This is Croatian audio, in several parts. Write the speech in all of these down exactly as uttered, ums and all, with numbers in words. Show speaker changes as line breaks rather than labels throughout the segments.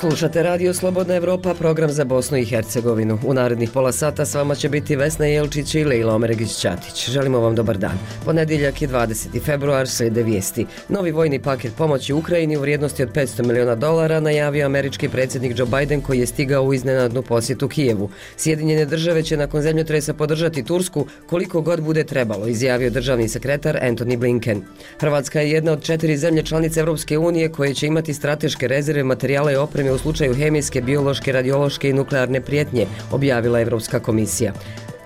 Slušate Radio Slobodna Evropa, program za Bosnu i Hercegovinu. U narednih pola sata s vama će biti Vesna Jelčić i Lejla Omeregić-Ćatić. Želimo vam dobar dan. Ponedjeljak je dvadeseti februar, slijede vijesti. Novi vojni paket pomoći Ukrajini u vrijednosti od petsto miliona dolara najavio američki predsjednik Joe Biden, koji je stigao u iznenadnu posjetu Kijevu. Sjedinjene države će nakon zemljotresa podržati Tursku koliko god bude trebalo, izjavio državni sekretar Antony Blinken. Hrvatska je jedna od četiri zemlje članice Europske unije koje će imati strateške rezerve materijala i opreme u slučaju hemijske, biološke, radiološke i nuklearne prijetnje, objavila Europska komisija.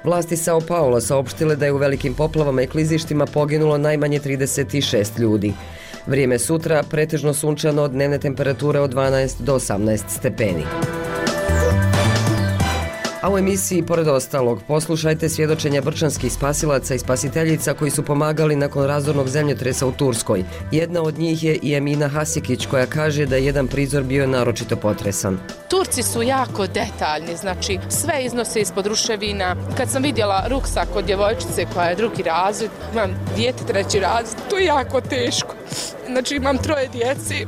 Vlasti Sao Paula saopštile da je u velikim poplavama i klizištima poginulo najmanje trideset šest ljudi. Vrijeme sutra pretežno sunčano, dnevne temperature od dvanaest do osamnaest stepeni. A u emisiji, pored ostalog, poslušajte svjedočenja brčanskih spasilaca i spasiteljica koji su pomagali nakon razornog zemljotresa u Turskoj. Jedna od njih je i Emina Hasikić, koja kaže da je jedan prizor bio naročito potresan.
Turci su jako detaljni, znači sve iznose ispod ruševina. Kad sam vidjela ruksak od djevojčice koja je drugi razred, imam dijete treći razred, to je jako teško. Znači imam troje djeci.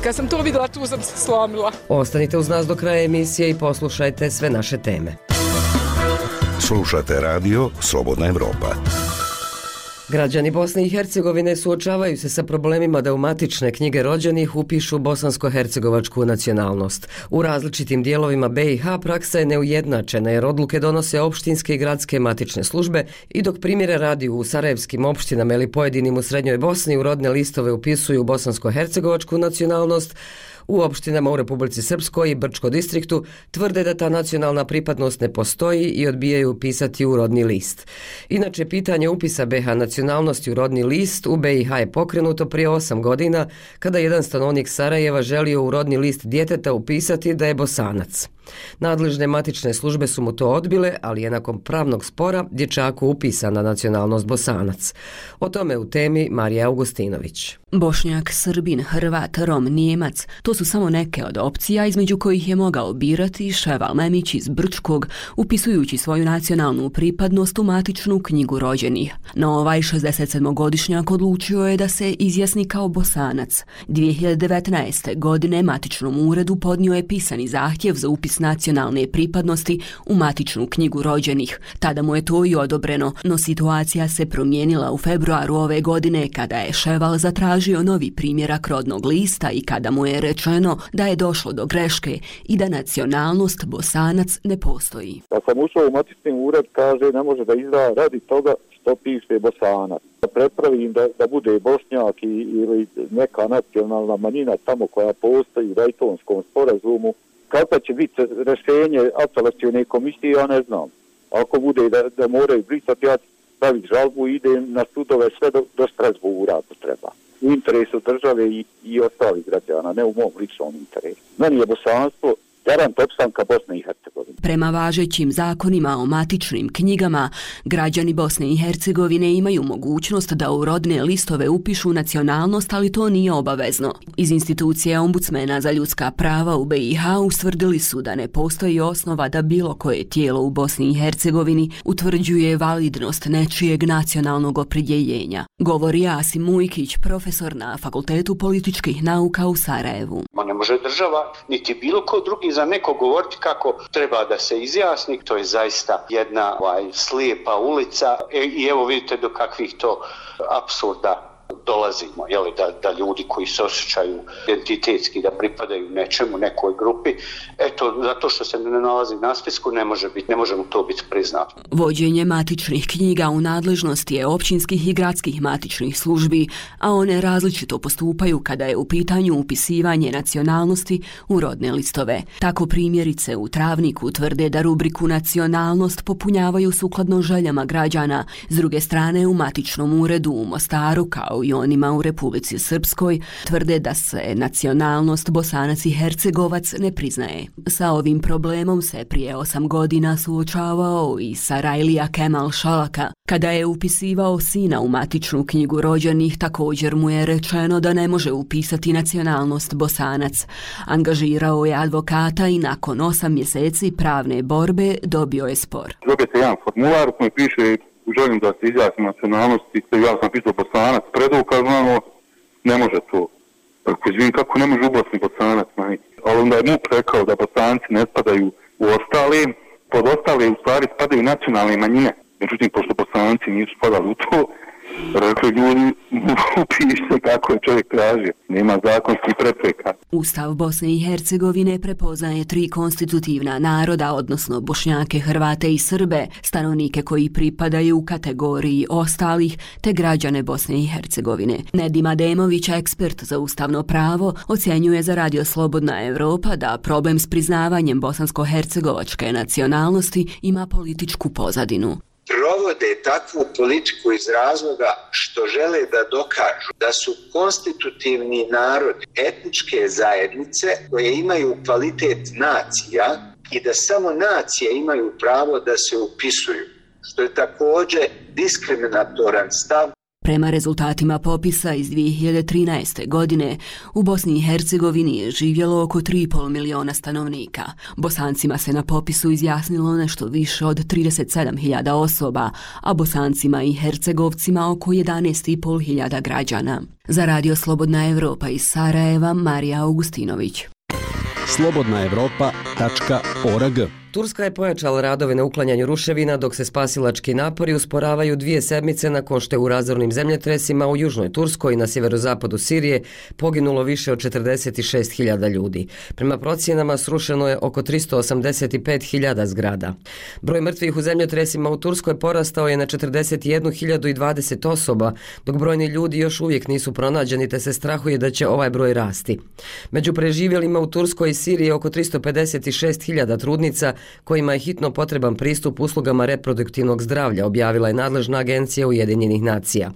Kad sam to vidjela, tu sam se slomila.
Ostanite uz nas do kraja emisije i poslušajte sve naše teme.
Slušate Radio Slobodna Evropa.
Građani Bosne i Hercegovine suočavaju se sa problemima da u matične knjige rođenih upišu bosansko-hercegovačku nacionalnost. U različitim dijelovima B i H praksa je neujednačena jer odluke donose opštinske i gradske matične službe i dok primjere radi u sarajevskim opštinama ili pojedinim u Srednjoj Bosni u rodne listove upisuju bosansko-hercegovačku nacionalnost, u opštinama u Republici Srpskoj i Brčko distriktu tvrde da ta nacionalna pripadnost ne postoji i odbijaju upisati u rodni list. Inače, pitanje upisa B H nacionalnosti u rodni list u B i H je pokrenuto prije osam godina kada jedan stanovnik Sarajeva želio u rodni list djeteta upisati da je Bosanac. Nadležne matične službe su mu to odbile, ali je nakon pravnog spora dječaku upisana nacionalnost Bosanac. O tome u temi Marija Augustinović.
Bošnjak, Srbin, Hrvat, Rom, Nijemac, to su samo neke od opcija između kojih je mogao birati Ševal Memić iz Brčkog, upisujući svoju nacionalnu pripadnost u matičnu knjigu rođenih. No ovaj šezdesetsedmogodišnjak odlučio je da se izjasni kao Bosanac. dvije hiljade devetnaeste. godine matičnom uredu podnio je pisani zahtjev za upis nacionalne pripadnosti u matičnu knjigu rođenih. Tada mu je to i odobreno, no situacija se promijenila u februaru ove godine kada je Ševal zatražio novi primjerak rodnog lista i kada mu je rečeno da je došlo do greške i da nacionalnost Bosanac ne postoji.
Kad sam ušao u matični ured, kaže ne može da izda radi toga što piše Bosanac. Da prepravim da, da bude Bošnjak i, ili neka nacionalna manjina tamo koja postoji u Daytonskom sporazumu. Kako će biti rješenje apelacione komisije, ja ne znam. Ako bude da, da moraju brisati, ja staviti žalbu i idem na sudove sve do, do Strasbura, ako treba. U interesu države i, i ostalih građana, ne u mom ličnom interesu. Meni je bosanstvo garant opstanka Bosne i Hercegovine.
Prema važećim zakonima o matičnim knjigama, građani Bosne i Hercegovine imaju mogućnost da u rodne listove upišu nacionalnost, ali to nije obavezno. Iz institucije ombudsmena za ljudska prava u B i H ustvrdili su da ne postoji osnova da bilo koje tijelo u Bosni i Hercegovini utvrđuje validnost nečijeg nacionalnog opredjeljenja. Govori Asim Mujkić, profesor na Fakultetu političkih nauka u Sarajevu.
Ma ne može država, niti bilo ko drugi za neko govoriti kako treba da se izjasni, to je zaista jedna ovaj, slijepa ulica e, i evo vidite do kakvih to apsurda dolazimo, jeli, da, da ljudi koji se osjećaju identitetski da pripadaju nečemu, nekoj grupi, eto, zato što se ne nalazi na spisku, ne može biti, ne može mu to biti priznato.
Vođenje matičnih knjiga u nadležnosti je općinskih i gradskih matičnih službi, a one različito postupaju kada je u pitanju upisivanje nacionalnosti u rodne listove. Tako primjerice u Travniku tvrde da rubriku nacionalnost popunjavaju sukladno željama građana, s druge strane u matičnom uredu u Mostaru kao i onima u Republici Srpskoj tvrde da se nacionalnost Bosanac i Hercegovac ne priznaje. Sa ovim problemom se prije osam godina suočavao i Sarajlija Kemal Šalaka. Kada je upisivao sina u matičnu knjigu rođenih, također mu je rečeno da ne može upisati nacionalnost Bosanac. Angažirao je advokata i nakon osam mjeseci pravne borbe dobio je spor.
Dobijete jedan formular u kojem piše želim da se izjasnim nacionalnosti, ja sam pisao Bosanac, predukazano, ne može to. Tako izvijem kako ne može u Bosni Bosanac majke. Ali onda je MUP rekao da Bosanci ne spadaju u ostale, pod ostale u stvari spadaju nacionalne manjine. Međutim, pošto Bosanci nisu spadali u to, rekli ljudi, upište kako je čovjek traži, nema zakonskih prepreka.
Ustav Bosne i Hercegovine prepoznaje tri konstitutivna naroda, odnosno Bošnjake, Hrvate i Srbe, stanovnike koji pripadaju u kategoriji ostalih, te građane Bosne i Hercegovine. Nedim Ademović, ekspert za ustavno pravo, ocjenjuje za Radio Slobodna Evropa da problem s priznavanjem bosansko-hercegovačke nacionalnosti ima političku pozadinu.
Provode takvu politiku iz razloga što žele da dokažu da su konstitutivni narodi etničke zajednice koje imaju kvalitet nacija i da samo nacije imaju pravo da se upisuju, što je također diskriminatoran stav.
Prema rezultatima popisa iz dvije hiljade trinaeste. godine, u Bosni i Hercegovini je živjelo oko tri i pol miliona stanovnika. Bosancima se na popisu izjasnilo nešto više od trideset sedam hiljada osoba, a Bosancima i Hercegovcima oko jedanaest i pol hiljada građana. Za Radio Slobodna Evropa iz Sarajeva, Marija Augustinović.
slobodna evropa tačka org.
Turska je pojačala radove na uklanjanju ruševina, dok se spasilački napori usporavaju dvije sedmice nakon što je u razornim zemljotresima u južnoj Turskoj i na sjeverozapadu Sirije poginulo više od četrdeset šest hiljada ljudi. Prema procjenama srušeno je oko tristo osamdeset pet hiljada zgrada. Broj mrtvih u zemljotresima u Turskoj porastao je na četrdeset jednu hiljadu dvadeset osoba, dok brojni ljudi još uvijek nisu pronađeni, te se strahuje da će ovaj broj rasti. Među preživjelima u Turskoj i Siriji je oko tristo pedeset šest hiljada trudnica kojima je hitno potreban pristup uslugama reproduktivnog zdravlja, objavila je nadležna agencija Ujedinjenih nacija.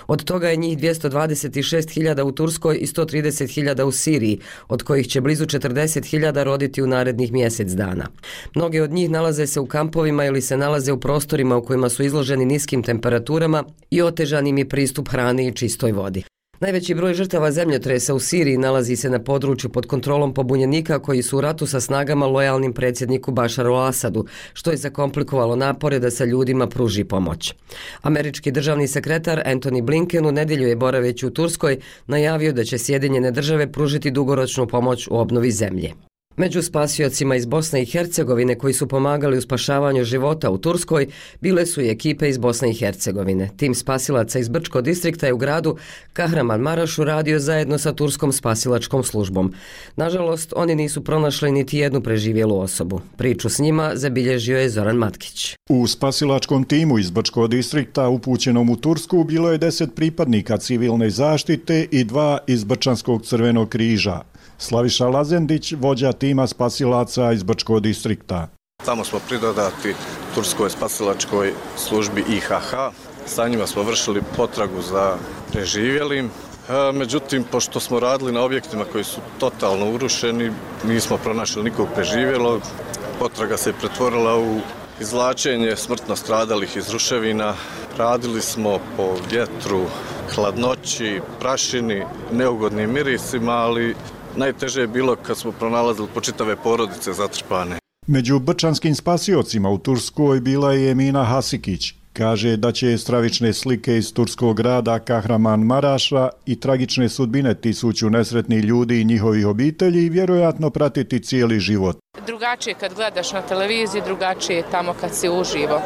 Od toga je njih dvjesto dvadeset šest hiljada u Turskoj i sto trideset hiljada u Siriji, od kojih će blizu četrdeset hiljada roditi u narednih mjesec dana. Mnoge od njih nalaze se u kampovima ili se nalaze u prostorima u kojima su izloženi niskim temperaturama i otežanim je pristup hrani i čistoj vodi. Najveći broj žrtava zemljotresa u Siriji nalazi se na području pod kontrolom pobunjenika koji su u ratu sa snagama lojalnim predsjedniku Bašaru al-Asadu, što je zakomplikovalo napore da se ljudima pruži pomoć. Američki državni sekretar Antony Blinken u nedjelju je boraveći u Turskoj najavio da će Sjedinjene države pružiti dugoročnu pomoć u obnovi zemlje. Među spasiocima iz Bosne i Hercegovine koji su pomagali u spašavanju života u Turskoj bile su i ekipe iz Bosne i Hercegovine. Tim spasilaca iz Brčko distrikta je u gradu Kahramanmarašu radio zajedno sa turskom spasilačkom službom. Nažalost, oni nisu pronašli niti jednu preživjelu osobu. Priču s njima zabilježio je Zoran Matkić.
U spasilačkom timu iz Brčko distrikta upućenom u Tursku bilo je deset pripadnika civilne zaštite i dva iz Brčanskog crvenog križa. Slaviša Lazendić, vođa tima spasilaca iz Brčko distrikta.
Tamo smo pridodati Turskoj spasilačkoj službi I H H. Sa njima smo vršili potragu za preživjelim. Međutim, pošto smo radili na objektima koji su totalno urušeni, nismo pronašli nikog preživjelog. Potraga se pretvorila u izvlačenje smrtno stradalih iz ruševina. Radili smo po vjetru, hladnoći, prašini, neugodnim mirisima, ali najteže je bilo kad smo pronalazili počitave porodice zatrpane.
Među brčanskim spasiocima u Turskoj bila je Emina Hasikić. Kaže da će stravične slike iz turskog grada Kahramanmaraša i tragične sudbine tisuću nesretnih ljudi i njihovih obitelji vjerojatno pratiti cijeli život.
Drugačije kad gledaš na televiziji, drugačije je tamo kad si uživo.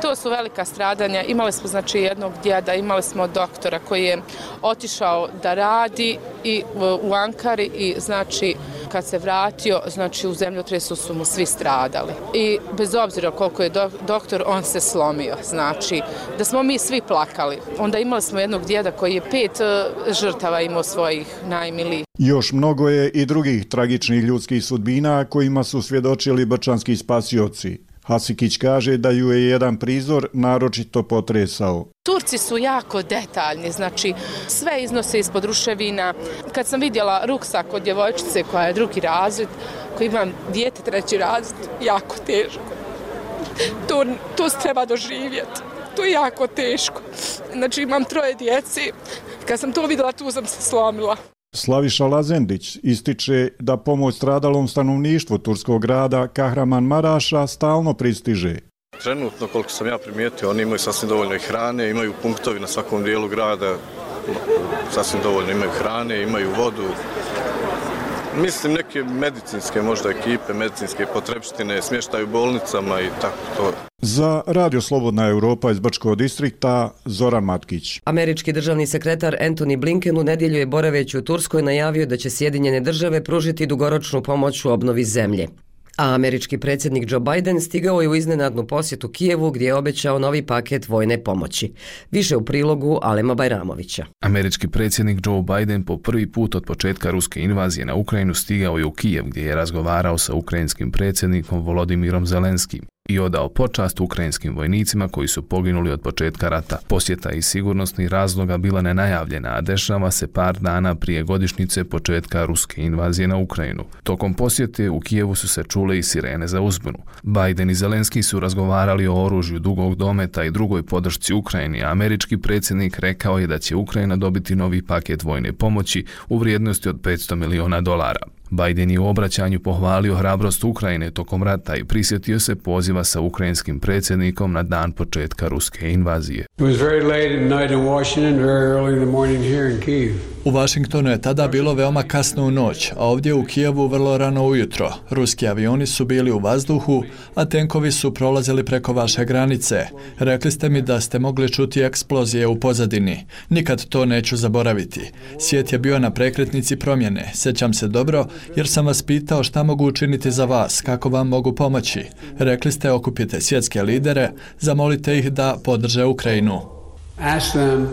To su velika stradanja. Imali smo znači jednog djeda, imali smo doktora koji je otišao da radi i u Ankari i znači kad se vratio, znači u zemljotresu su mu svi stradali. I bez obzira koliko je do, doktor, on se slomio. Znači da smo mi svi plakali. Onda imali smo jednog djeda koji je pet uh, žrtava imao svojih najmilijih.
Još mnogo je i drugih tragičnih ljudskih sudbina kojima su svjedočili brčanski spasioci. Hasikić kaže da ju je jedan prizor naročito potresao.
Turci su jako detaljni, znači sve iznose ispod ruševina. Kad sam vidjela ruksak od djevojčice koja je drugi razred, koji imam dijete treći razred, jako teško. To, to se treba doživjeti. To je jako teško. Znači imam troje djeci. Kad sam to vidjela, tu sam se slomila.
Slaviša Lazendić ističe da pomoć stradalom stanovništvu turskog grada Kahramanmaraša stalno pristiže.
Trenutno, koliko sam ja primijetio, oni imaju sasvim dovoljno i hrane, imaju punktovi na svakom dijelu grada sasvim dovoljno, imaju hrane, imaju vodu. Mislim neke medicinske možda ekipe, medicinske potrepštine, smještaj u bolnicama i tako to.
Za Radio Slobodna Europa iz Brčkog distrikta, Zoran Matkić.
Američki državni sekretar Antony Blinken u nedjelju je boraveći u Turskoj najavio da će Sjedinjene države pružiti dugoročnu pomoć u obnovi zemlje. A američki predsjednik Joe Biden stigao je u iznenadnu posjetu Kijevu gdje je obećao novi paket vojne pomoći. Više u prilogu Alema Bajramovića.
Američki predsjednik Joe Biden po prvi put od početka ruske invazije na Ukrajinu stigao je u Kijev gdje je razgovarao sa ukrajinskim predsjednikom Volodimirom Zelenskim i odao počast ukrajinskim vojnicima koji su poginuli od početka rata. Posjeta iz sigurnosnih razloga bila nenajavljena, a dešava se par dana prije godišnjice početka ruske invazije na Ukrajinu. Tokom posjete u Kijevu su se čule i sirene za uzbunu. Biden i Zelenski su razgovarali o oružju dugog dometa i drugoj podršci Ukrajini, a američki predsjednik rekao je da će Ukrajina dobiti novi paket vojne pomoći u vrijednosti od petsto miliona dolara. Biden je u obraćanju pohvalio hrabrost Ukrajine tokom rata i prisjetio se poziva sa ukrajinskim predsjednikom na dan početka ruske invazije.
U Washingtonu je tada bilo veoma kasno u noć, a ovdje u Kijevu vrlo rano ujutro. Ruski avioni su bili u vazduhu, a tenkovi su prolazili preko vaše granice. Rekli ste mi da ste mogli čuti eksplozije u pozadini. Nikad to neću zaboraviti. Svijet je bio na prekretnici promjene. Sjećam se dobro, jer sam vas pitao šta mogu učiniti za vas, kako vam mogu pomoći. Rekli ste okupite svjetske lidere, zamolite ih da podrže Ukrajinu.
Ask them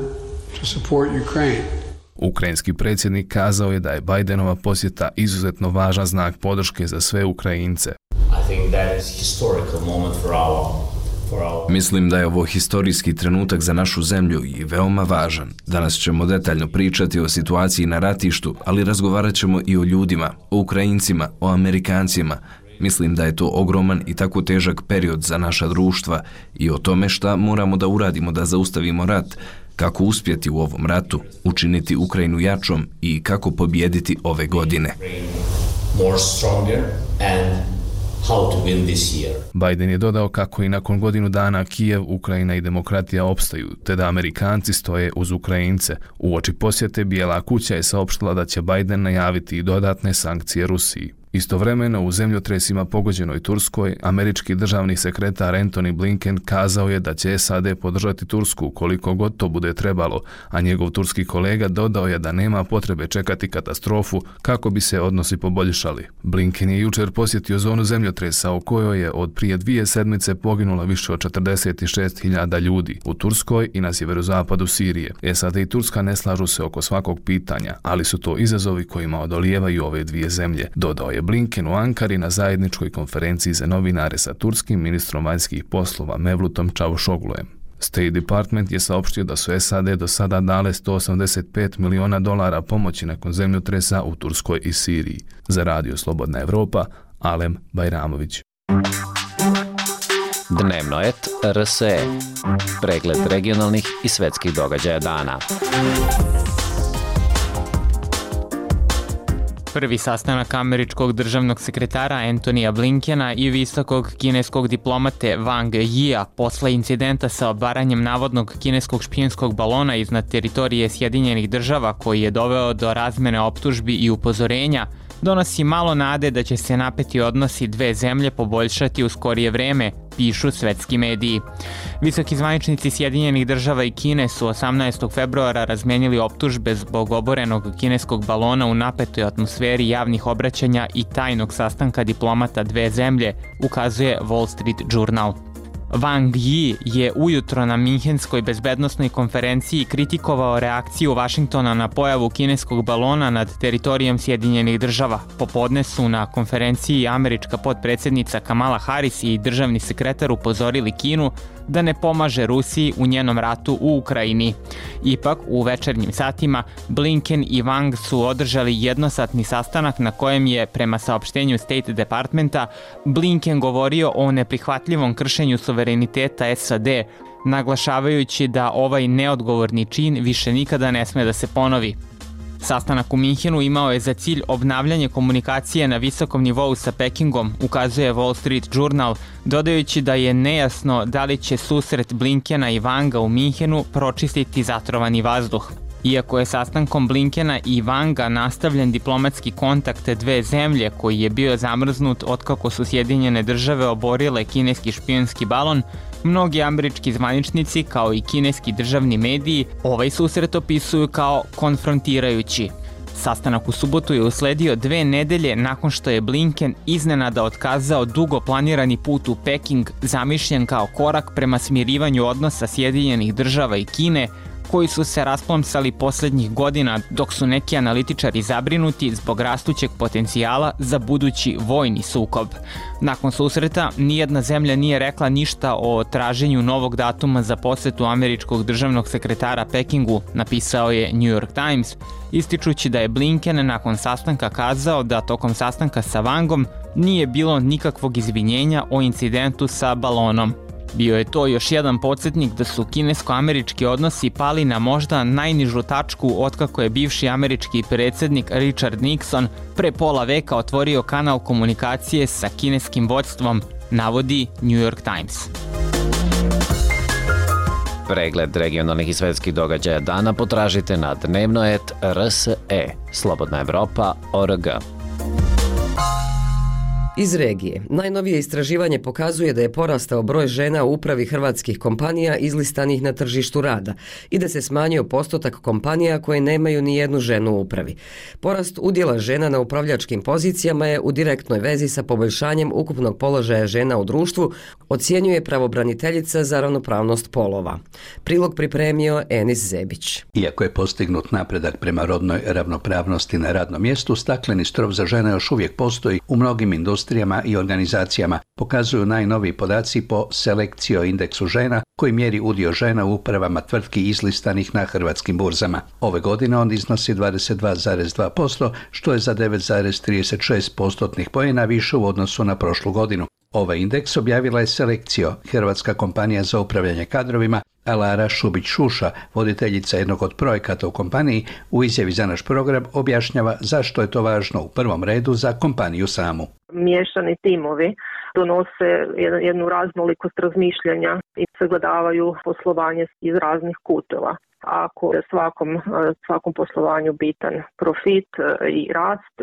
to support Ukraine.
Ukrajinski predsjednik kazao je da je Bidenova posjeta izuzetno važan znak podrške za sve Ukrajince.
I think that is historical moment for our Mislim da je ovo historijski trenutak za našu zemlju i veoma važan. Danas ćemo detaljno pričati o situaciji na ratištu, ali razgovarat ćemo i o ljudima, o Ukrajincima, o Amerikancima. Mislim da je to ogroman i tako težak period za naša društva i o tome šta moramo da uradimo da zaustavimo rat, kako uspjeti u ovom ratu, učiniti Ukrajinu jačom i kako pobijediti ove godine. More stronger and how to win this year.
Biden je dodao kako i nakon godinu dana Kijev, Ukrajina i demokratija opstaju, te da Amerikanci stoje uz Ukrajince. Uoči posjete Bijela kuća je saopštila da će Biden najaviti i dodatne sankcije Rusiji. Istovremeno u zemljotresima pogođenoj Turskoj, američki državni sekretar Antony Blinken kazao je da će S A D podržati Tursku koliko god to bude trebalo, a njegov turski kolega dodao je da nema potrebe čekati katastrofu kako bi se odnosi poboljšali. Blinken je jučer posjetio zonu zemljotresa u kojoj je od prije dvije sedmice poginula više od četrdeset šest hiljada ljudi u Turskoj i na sjeverozapadu Sirije. S A D i Turska ne slažu se oko svakog pitanja, ali su to izazovi kojima odolijevaju ove dvije zemlje, dodao je Blinken u Ankari na zajedničkoj konferenciji za novinare sa turskim ministrom vanjskih poslova Mevlutom Čavuşoglujem. State Department je saopštio da su S A D do sada dale sto osamdeset pet miliona dolara pomoći nakon zemljotresa u Turskoj i Siriji. Za Radio Slobodna Evropa, Alem Bajramović.
Dnevnoet R S E. Pregled regionalnih i svetskih događaja dana.
Prvi sastanak američkog državnog sekretara Antonija Blinkena i visokog kineskog diplomate Wang Yia posle incidenta sa obaranjem navodnog kineskog špijunskog balona iznad teritorije Sjedinjenih država koji je doveo do razmene optužbi i upozorenja, donosi malo nade da će se napeti odnosi dve zemlje poboljšati u skorije vreme, pišu svetski mediji. Visoki zvaničnici Sjedinjenih država i Kine su osamnaestog februara razmenili optužbe zbog oborenog kineskog balona u napetoj atmosferi javnih obraćanja i tajnog sastanka diplomata dve zemlje, ukazuje Wall Street Journal. Wang Yi je ujutro na Minhenskoj bezbednosnoj konferenciji kritikovao reakciju Vašingtona na pojavu kineskog balona nad teritorijom Sjedinjenih država. Popodne su na konferenciji američka potpredsjednica Kamala Harris i državni sekretar upozorili Kinu da ne pomaže Rusiji u njenom ratu u Ukrajini. Ipak, u večernjim satima, Blinken i Wang su održali jednosatni sastanak na kojem je, prema saopštenju State Departmenta, Blinken govorio o neprihvatljivom kršenju suvereniteta S A D, naglašavajući da ovaj neodgovorni čin više nikada ne sme da se ponovi. Sastanak u Minhenu imao je za cilj obnavljanje komunikacije na visokom nivou sa Pekingom, ukazuje Wall Street Journal, dodajući da je nejasno da li će susret Blinkena i Wanga u Minhenu pročistiti zatrovani vazduh. Iako je sastankom Blinkena i Wanga nastavljen diplomatski kontakt dve zemlje koji je bio zamrznut otkako su Sjedinjene države oborile kineski špijunski balon, mnogi američki zvaničnici kao i kineski državni mediji ovaj susret opisuju kao konfrontirajući. Sastanak u subotu je usledio dve nedelje nakon što je Blinken iznenada otkazao dugo planirani put u Peking zamišljen kao korak prema smirivanju odnosa Sjedinjenih država i Kine, koji su se rasplomsali posljednjih godina dok su neki analitičari zabrinuti zbog rastućeg potencijala za budući vojni sukob. Nakon susreta, nijedna zemlja nije rekla ništa o traženju novog datuma za posjetu američkog državnog sekretara Pekingu, napisao je New York Times, ističući da je Blinken nakon sastanka kazao da tokom sastanka sa Wangom nije bilo nikakvog izvinjenja o incidentu sa balonom. Bio je to još jedan podsjetnik da su kinesko-američki odnosi pali na možda najnižu tačku otkako je bivši američki predsjednik Richard Nixon pre pola veka otvorio kanal komunikacije sa kineskim vođstvom, navodi New York Times.
Pregled regionalnih i svetskih događaja dana potražite na dnevnoet R S E, Slobodna Evropa, O R G.
Iz regije. Najnovije istraživanje pokazuje da je porastao broj žena u upravi hrvatskih kompanija izlistanih na tržištu rada i da se smanjio postotak kompanija koje nemaju ni jednu ženu u upravi. Porast udjela žena na upravljačkim pozicijama je u direktnoj vezi sa poboljšanjem ukupnog položaja žena u društvu, ocjenjuje pravobraniteljica za ravnopravnost polova. Prilog pripremio Enis Zebić.
Iako je postignut napredak prema rodnoj ravnopravnosti na radnom mjestu, stakleni strop za žene još uvijek postoji u mnogim industrijama i organizacijama, pokazuju najnoviji podaci po Selekcio indeksu žena koji mjeri udio žena u upravama tvrtki izlistanih na hrvatskim burzama. Ove godine on iznosi dvadeset dva zarez dva posto, što je za devet zarez trideset šest postotnih poena više u odnosu na prošlu godinu. Ovaj indeks objavila je Selekcio, hrvatska kompanija za upravljanje kadrovima, a Lara Šubić-Šuša, voditeljica jednog od projekata u kompaniji, u izjavi za naš program objašnjava zašto je to važno u prvom redu za kompaniju samu.
Miješani timovi donose jednu raznolikost razmišljanja i sagledavaju poslovanje iz raznih kutova. Ako je svakom, svakom poslovanju bitan profit i rast,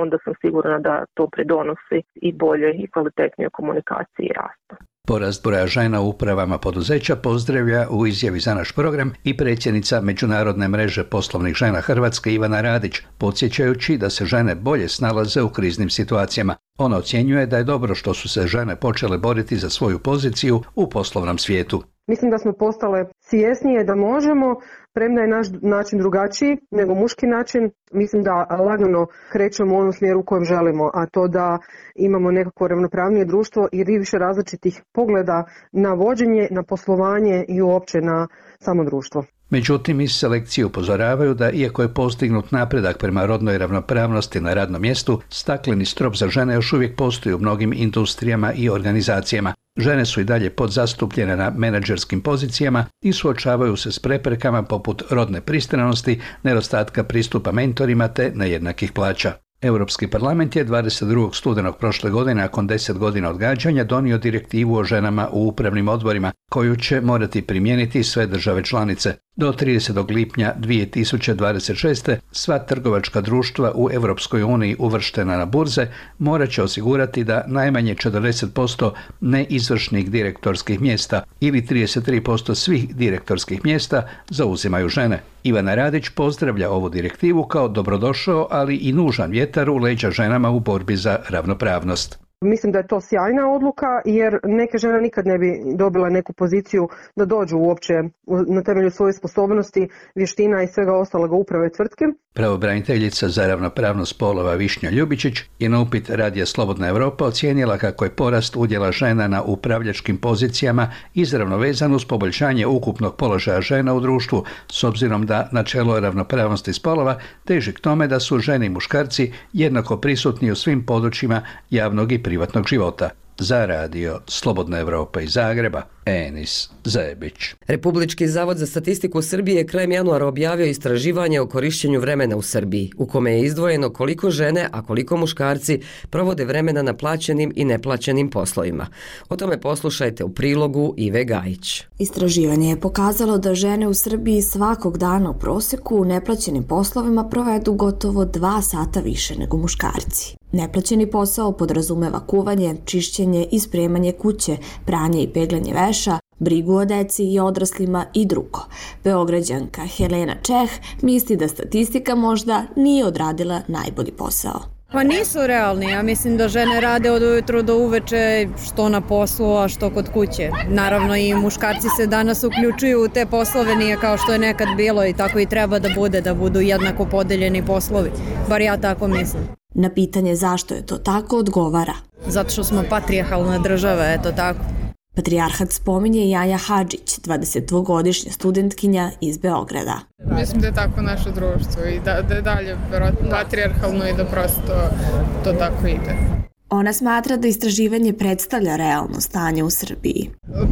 onda sam sigurna da to pridonosi i bolje i kvalitetnije komunikaciji i rastu.
Porast broja žena u upravama poduzeća pozdravlja u izjavi za naš program i predsjednica Međunarodne mreže poslovnih žena Hrvatske Ivana Radić, podsjećajući da se žene bolje snalaze u kriznim situacijama. Ona ocjenjuje da je dobro što su se žene počele boriti za svoju poziciju u poslovnom svijetu.
Mislim da smo postale svjesnije da možemo, premda je naš način drugačiji nego muški način. Mislim da lagano krećemo u onom smjeru u kojem želimo, a to da imamo nekako ravnopravnije društvo i više različitih pogleda na vođenje, na poslovanje i uopće na samo društvo.
Međutim, iz Selekcije upozoravaju da iako je postignut napredak prema rodnoj ravnopravnosti na radnom mjestu, stakleni strop za žene još uvijek postoji u mnogim industrijama i organizacijama. Žene su i dalje podzastupljene na menadžerskim pozicijama i suočavaju se s preprekama poput rodne pristranosti, nedostatka pristupa mentorima te nejednakih plaća. Europski parlament je dvadeset drugog studenog prošle godine, nakon deset godina odgađanja, donio direktivu o ženama u upravnim odborima, koju će morati primijeniti sve države članice. Do tridesetog lipnja dvije tisuće dvadeset šeste sva trgovačka društva u Europskoj uniji uvrštena na burze morat će osigurati da najmanje četrdeset posto neizvršnih direktorskih mjesta ili trideset tri posto svih direktorskih mjesta zauzimaju žene. Ivana Radić pozdravlja ovu direktivu kao dobrodošao, ali i nužan vjetar u leđa ženama u borbi za ravnopravnost.
Mislim da je to sjajna odluka jer neke žene nikad ne bi dobile neku poziciju da dođu uopće na temelju svoje sposobnosti, vještina i svega ostaloga uprave tvrtke.
Pravobraniteljica za ravnopravnost spolova Višnja Ljubičić je na upit Radija Slobodna Evropa ocijenila kako je porast udjela žena na upravljačkim pozicijama izravno vezan uz poboljšanje ukupnog položaja žena u društvu, s obzirom da načelo ravnopravnosti spolova teži k tome da su žene i muškarci jednako prisutni u svim područjima javnog i privatnog života. Za Radio Slobodna Evropa iz Zagreba, Enis Zebić.
Republički zavod za statistiku Srbije krajem januara objavio istraživanje o korišćenju vremena u Srbiji, u kome je izdvojeno koliko žene, a koliko muškarci provode vremena na plaćenim i neplaćenim poslovima. O tome poslušajte u prilogu Ive Gajić.
Istraživanje je pokazalo da žene u Srbiji svakog dana u proseku u neplaćenim poslovima provedu gotovo dva sata više nego muškarci. Neplaćeni posao podrazumeva kuvanje, čišćenje i spremanje kuće, pranje i peglanje veša, brigu o deci i odraslima i drugo. Beograđanka Helena Čeh misli da statistika možda nije odradila najbolji posao.
Pa nisu realni, ja mislim da žene rade od ujutru do uveče što na poslu, a što kod kuće. Naravno i muškarci se danas uključuju u te poslove, nije kao što je nekad bilo i tako i treba da bude, da budu jednako podeljeni poslovi. Bar ja tako mislim.
Na pitanje zašto je to tako odgovara.
Zato što smo patrijarhalna država, eto tako.
Patrijarhat spominje Jaja Hadžić, dvadesetdvogodišnja studentkinja iz Beograda.
Mislim da je tako naše društvo i da, da je dalje patrijarhalno i da prosto to tako ide.
Ona smatra da istraživanje predstavlja realno stanje u Srbiji.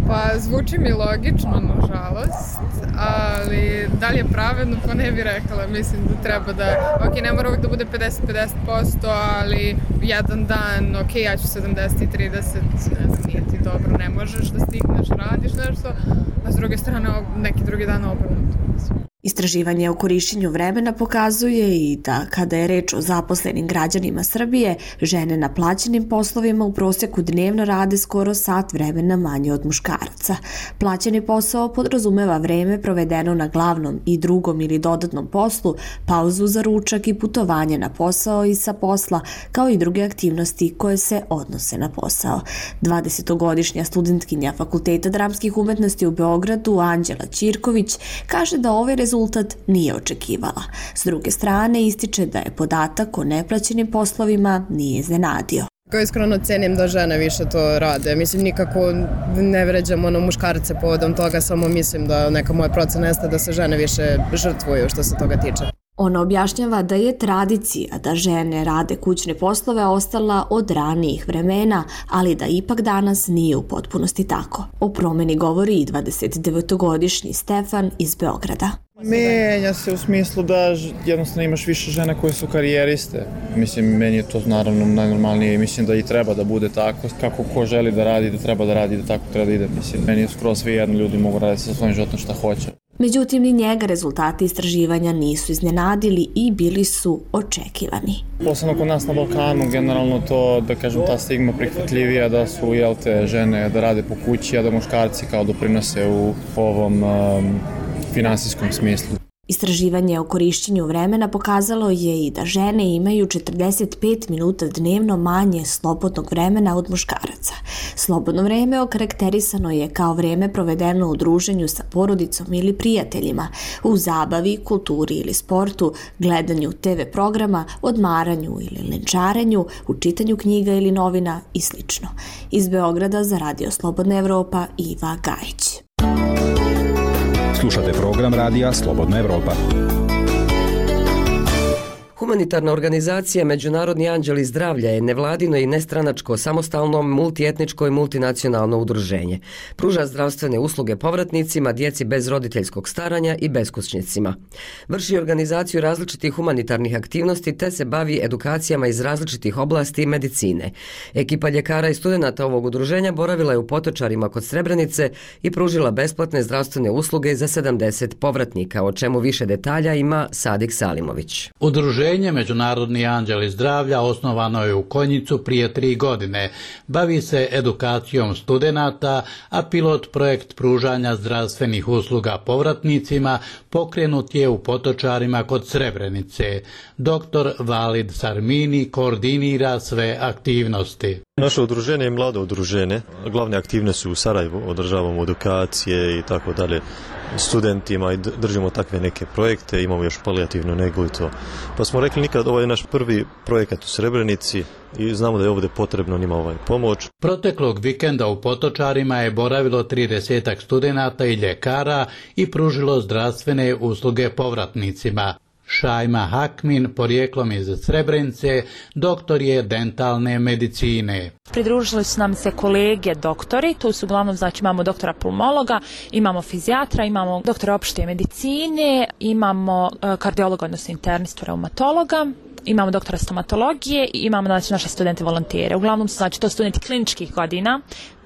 Pa zvuči mi logično, nažalost, ali da li je pravedno, pa ne bih rekla. Mislim da treba da, ok, ne mora uvijek da bude pedeset pedeset posto, ali jedan dan, ok, ja ću sedamdeset trideset, ne znam, nije ti dobro, ne možeš da stigneš, radiš nešto, a s druge strane neki drugi dan obrnuto.
Istraživanje o korišćenju vremena pokazuje i da kada je reč o zaposlenim građanima Srbije, žene na plaćenim poslovima u prosjeku dnevno rade skoro sat vremena manje od muškaraca. Plaćeni posao podrazumeva vreme provedeno na glavnom i drugom ili dodatnom poslu, pauzu za ručak i putovanje na posao i sa posla, kao i druge aktivnosti koje se odnose na posao. dvadesetogodišnja studentkinja Fakulteta dramskih umetnosti u Beogradu, Anđela Ćirković, kaže da ovaj rezultat rezultat nije očekivala. S druge strane, ističe da je podatak o neplaćenim poslovima nije iznenadio.
Kao iskreno cenim da žene više to rade. Mislim, nikako ne vređam ono muškarce povodom toga, samo mislim da neka moja procena jeste da se žene više žrtvuju što se toga tiče.
Ona objašnjava da je tradicija da žene rade kućne poslove ostala od ranijih vremena, ali da ipak danas nije u potpunosti tako. O promeni govori i dvadesetdevetogodišnji Stefan iz Beograda.
Menja se u smislu da jednostavno imaš više žena koje su karijeriste. Mislim, meni je to naravno najnormalnije i mislim da i treba da bude tako. Kako ko želi da radi, da treba da radi, da tako treba da ide. Mislim, meni je skoro sve jedno, ljudi mogu raditi sa svojim životom šta hoće.
Međutim, ni njega rezultati istraživanja nisu iznenadili i bili su očekivani.
Posebno kod nas na Balkanu, generalno to, da kažem, ta stigma prihvatljivija da su, jel te, žene da rade po kući, a da muškarci kao doprinose u ovom um, finansijskom smislu.
Istraživanje o korišćenju vremena pokazalo je i da žene imaju četrdeset pet minuta dnevno manje slobodnog vremena od muškaraca. Slobodno vreme okarakterisano je kao vreme provedeno u druženju sa porodicom ili prijateljima, u zabavi, kulturi ili sportu, gledanju te ve programa, odmaranju ili lenčarenju, u čitanju knjiga ili novina i sl. Iz Beograda za Radio Slobodna Evropa, Iva Gajić.
Slušate program radija Slobodna Evropa.
Humanitarna organizacija Međunarodni anđeli zdravlja je nevladino i nestranačko, samostalno, multietničko i multinacionalno udruženje. Pruža zdravstvene usluge povratnicima, djeci bez roditeljskog staranja i beskućnicima. Vrši organizaciju različitih humanitarnih aktivnosti te se bavi edukacijama iz različitih oblasti medicine. Ekipa ljekara i studenata ovog udruženja boravila je u Potočarima kod Srebrenice i pružila besplatne zdravstvene usluge za sedamdeset povratnika, o čemu više detalja ima Sadik Salimović.
Udruženje Međunarodni anđeli zdravlja osnovano je u Konjicu prije tri godine. Bavi se edukacijom studenata, a pilot projekt pružanja zdravstvenih usluga povratnicima pokrenut je u Potočarima kod Srebrenice. Doktor Valid Sarmini koordinira sve aktivnosti.
Naše udruženje je mlado udruženje. Glavne aktivnosti su u Sarajevu, održavamo edukacije i tako dalje studentima i držimo takve neke projekte, imamo još palijativnu negu i to. Pa smo rekli nikad, ovo je naš prvi projekat u Srebrenici i znamo da je ovdje potrebno njima ovaj pomoć.
Proteklog vikenda u Potočarima je boravilo tridesetak studenata i ljekara i pružilo zdravstvene usluge povratnicima. Šajma Hakmin, porijeklom iz Srebrenice, doktor je dentalne medicine.
Pridružili su nam se kolege doktori, tu su uglavnom, znači imamo doktora pulmologa, imamo fizijatra, imamo doktora opšte medicine, imamo kardiologa, odnosno internistu, reumatologa, imamo doktora stomatologije i imamo znači naše studente volontere. Uglavnom su znači to studenti kliničkih godina,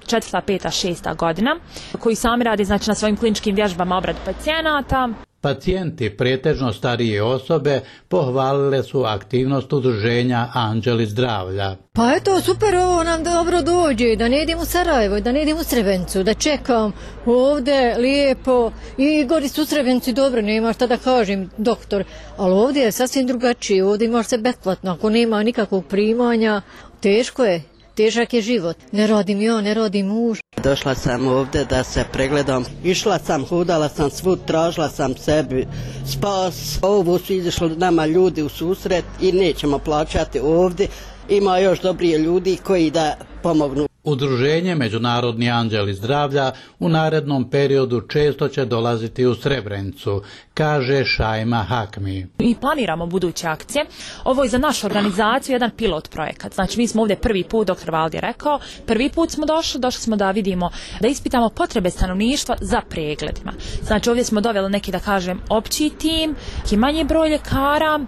četvrta, peta, šesta godina, koji sami rade znači na svojim kliničkim vježbama obradu pacijenata.
Pacijenti, pretežno starije osobe, pohvalile su aktivnost udruženja Anđeli zdravlja.
Pa eto, super, ovo nam dobro dođe, da ne idem u Sarajevo, da ne idem u Srebrenicu, da čekam ovdje lijepo i gori su u Srebrenici dobro, nema šta da kažem, doktor, ali ovdje je sasvim drugačije, ovdje imaš se besplatno, ako nema nikakvog primanja, teško je. Težak je život. Ne radim ja, ne radim muž.
Došla sam ovdje da se pregledam. Išla sam, hodala sam svud, tražila sam sebi spas. Ovo su izašli nama ljudi u susret i nećemo plaćati ovdje. Ima još dobrije ljudi koji da pomognu.
Udruženje Međunarodni anđeli zdravlja u narednom periodu često će dolaziti u Srebrenicu, kaže Šajma Hakmi.
Mi planiramo buduće akcije. Ovo je za našu organizaciju jedan pilot projekat. Znači mi smo ovdje prvi put, doktor Valdi je rekao, prvi put smo došli, došli smo da vidimo, da ispitamo potrebe stanovništva za pregledima. Znači ovdje smo doveli neki, da kažem, opći tim, neki manji broj ljekara,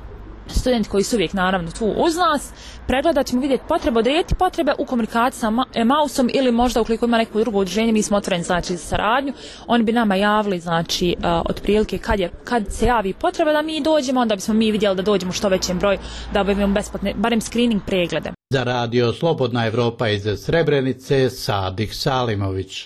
studenti koji su uvijek naravno tu uz nas, pregledat ćemo vidjeti potrebe, odrediti potrebe u komunikaciji sa Emausom ili možda ukoliko ima neko drugo udruženje, mi smo otvoreni znači za saradnju, oni bi nama javili znači uh, otprilike kad, je, kad se javi potreba da mi dođemo, onda bismo mi vidjeli da dođemo što većem broju, da obavimo besplatne, barem screening preglede.
Za radio Slobodna Evropa iz Srebrenice, Sadik Salimović.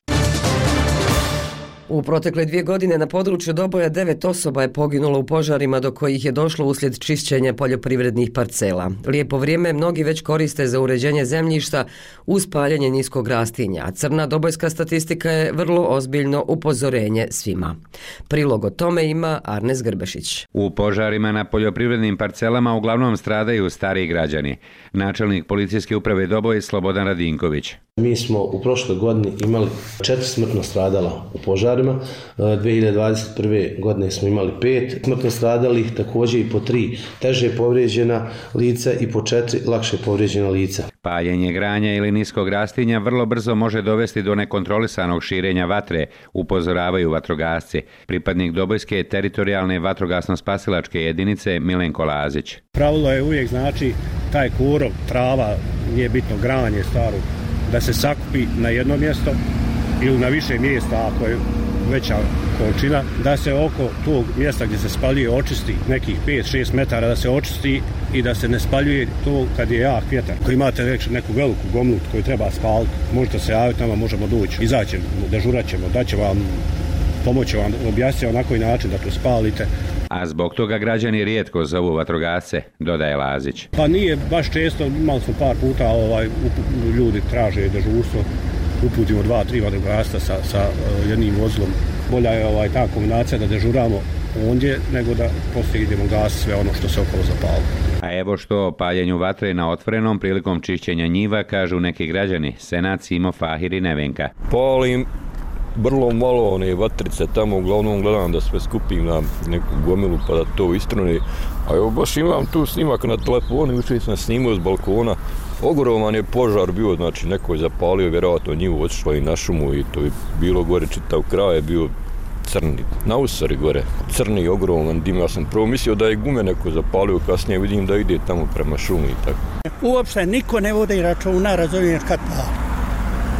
U protekle dvije godine na području Doboja devet osoba je poginulo u požarima do kojih je došlo uslijed čišćenja poljoprivrednih parcela. Lijepo vrijeme mnogi već koriste za uređenje zemljišta uz paljenje niskog rastinja, a crna dobojska statistika je vrlo ozbiljno upozorenje svima. Prilog o tome ima Arnes Grbešić.
U požarima na poljoprivrednim parcelama uglavnom stradaju stariji građani. Načelnik policijske uprave Doboj Slobodan Radinković.
Mi smo u prošloj godini imali četiri smrtno stradala u požarima, dvije hiljade dvadeset prve. godine smo imali pet smrtno stradalih, također i po tri teže povrijeđena lica i po četiri lakše povrijeđena lica.
Paljenje granja ili niskog rastinja vrlo brzo može dovesti do nekontrolisanog širenja vatre, upozoravaju vatrogasci. Pripadnik Dobojske teritorijalne vatrogasno-spasilačke jedinice Milenko Lazić.
Pravilo je uvijek znači taj korov, trava, nije bitno granje staro, da se sakupi na jedno mjesto ili na više mjesta ako je veća količina, da se oko tog mjesta gdje se spaljuje očisti nekih pet do šest metara, da se očisti i da se ne spaljuje to kad je jak vjetar. Ako imate neku veliku gomlu koju treba spaliti, možete se javiti, nama možemo doći, izaćemo, dežurat ćemo, daće vam, pomoći vam, objasniti na koji način da to spalite.
A zbog toga građani rijetko zovu vatrogasce, dodaje Lazić.
Pa nije baš često, imali smo par puta, ovaj, ljudi traže dežurstvo, uputimo dva, tri vatrogasca sa, sa jednim vozilom. Bolja je ovaj, ta kombinacija da dežuramo ondje, nego da poslije idemo gasiti sve ono što se okolo zapali.
A evo što o paljenju vatre na otvorenom prilikom čišćenja njiva kažu neki građani, Senat, Simo, Fahir i Nevenka.
Palim vrlo malo one vatrice tamo, uglavnom gledam da sve skupim na neku gomilu pa da to istrune. A evo baš imam tu snimak na telefonu, jučer sam snimao s balkona. Ogroman je požar bio, znači neko je zapalio vjerojatno njivu, otišlo i na šumu i to je bilo gore čitav kraj, je bio crni, na usari gore, crni, ogroman dim. Ja sam prvo mislio da je gume neko zapalio, kasnije vidim da ide tamo prema šumi i tako.
Uopšte niko ne vodi računa, razumiješ kad pali.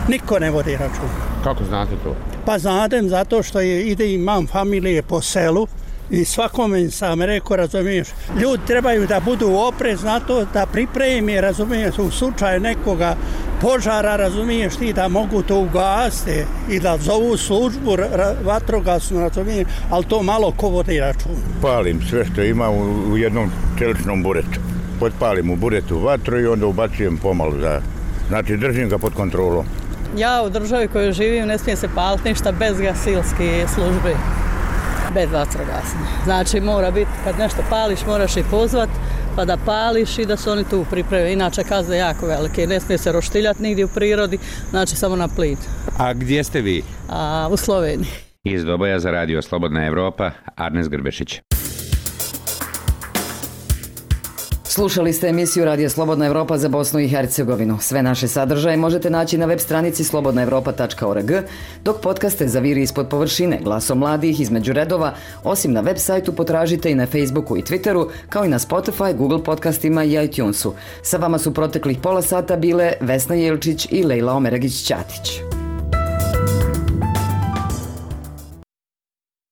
Niko ne vodi računa.
Kako znate to?
Pa znatem zato što je, ide imam familije po selu i svakome sam rekao, razumiješ, ljudi trebaju da budu oprez na to, da pripremi, razumiješ, u slučaju nekoga požara, razumiješ ti, da mogu to ugasiti i da zovu službu vatrogasnu, razumiješ, ali to malo ko vodi računa.
Palim sve što ima u, u jednom čeličnom buretu. Potpalim u buretu vatru i onda ubacujem pomalo za, znači držim ga pod kontrolom.
Ja u državi koju živim ne smije se paliti ništa bez gasilske službe, bez vatrogasne. Znači mora biti, kad nešto pališ moraš i pozvat pa da pališ i da se oni tu pripreme. Inače kazne jako velike, ne smije se roštiljati nigdje u prirodi, znači samo na plin.
A gdje ste vi?
A, u Sloveniji.
Iz Doboja za radio Slobodna Evropa, Arnes Grbešić.
Slušali ste emisiju Radija Slobodna Evropa za Bosnu i Hercegovinu. Sve naše sadržaje možete naći na web stranici slobodna evropa tačka org, dok podcaste Zaviri ispod površine, Glasom mladih, Između redova, osim na web sajtu potražite i na Facebooku i Twitteru, kao i na Spotify, Google podcastima i iTunesu. Sa vama su proteklih pola sata bile Vesna Jelčić i Lejla Omeragić-Ćatić.